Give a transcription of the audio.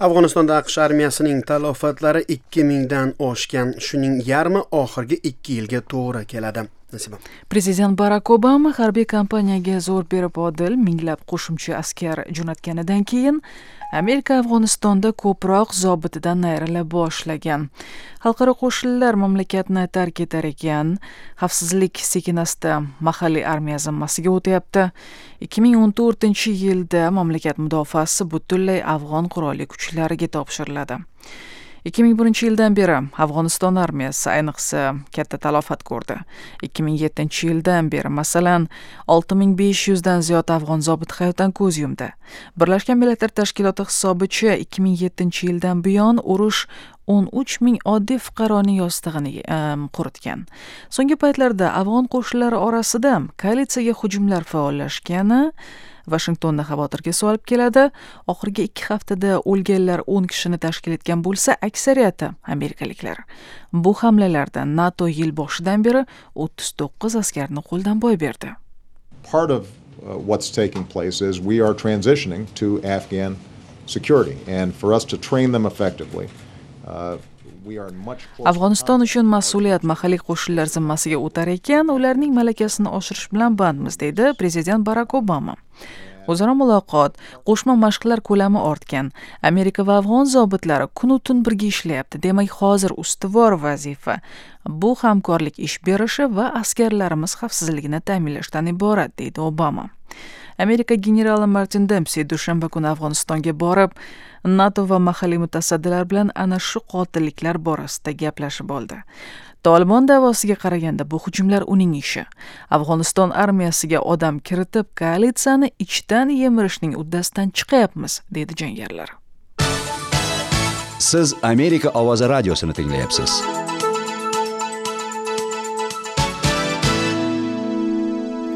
Afg'onistonda AQSh armiyasining talofatlari 2000 dan oshgan. Shuning yarmi oxirgi 2 yilga to'g'ri keladi. Nasiba. Prezident Barak Obama harbiy kampaniyaga zo'r berib odil minglab qo'shimcha askar jo'natganidan keyin Amerika Afg'onistonda ko'proq zobitidan ayrila boshlagan. Xalqaro qo'shinlar mamlakatni tark etar ekan, xavfsizlik sekin-asta mahalliy armiya zimmasiga o'tyapti. 2014-yilda mamlakat mudofaasi butunlay afg'on qurolli kuchlariga topshiriladi. 2001-yildan beri Afg'oniston armiyasi ayniqsa katta talofat ko'rdi. 2007-yildan beri, masalan, 6500 dan ziyod afg'on zobiti hayotdan ko'z yumdi. Birlashgan Millatlar Tashkiloti hisobicha 2007-yildan buyon urush 13 ming oddiy fuqaroning yostig'ini quritgan. So'nggi paytlarda afg'on qo'shinlari orasida koalitsiyaga hujumlar faollashgani Vashingtonni xavotirga solib keladi. Oxirgi 2 haftada o'lganlar 10 kishini tashkil etgan bo'lsa, aksariyati amerikaliklar. Bu hamlalarda NATO yil boshidan beri 39 askarni qo'ldan boy berdi. Part of what's taking place is we are transitioning to Afghan security, and for us to train them effectively, Afg'oniston uchun mas'uliyat mahalliy qo'shinlar zimmasiga o'tar ekan, ularning malakasini oshirish bilan bandmiz, deydi prezident Barak Obama. O'zaro muloqot, qo'shma mashqlar ko'lami ortgan. Amerika va afg'on zobitlari kunu tun birga ishlayapti. Demak, hozir ustuvor vazifa bu hamkorlik ish berishi va askarlarimiz xavfsizligini ta'minlashdan iborat, deydi Obama. Amerika generali Martin Dempsi dushanba kuni Afg'onistonga borib, NATO va mahalliy mutasaddilar bilan ana shu qotilliklar borasida gaplashib oldi. Tolibon da'vosiga qaraganda bu hujumlar uning ishi. Afg'oniston armiyasiga odam kiritib, koalitsiyani ichdan yemirishning uddasidan chiqyapmiz, deydi jangarilar. Siz Amerika ovozi radiosini tinglayapsiz.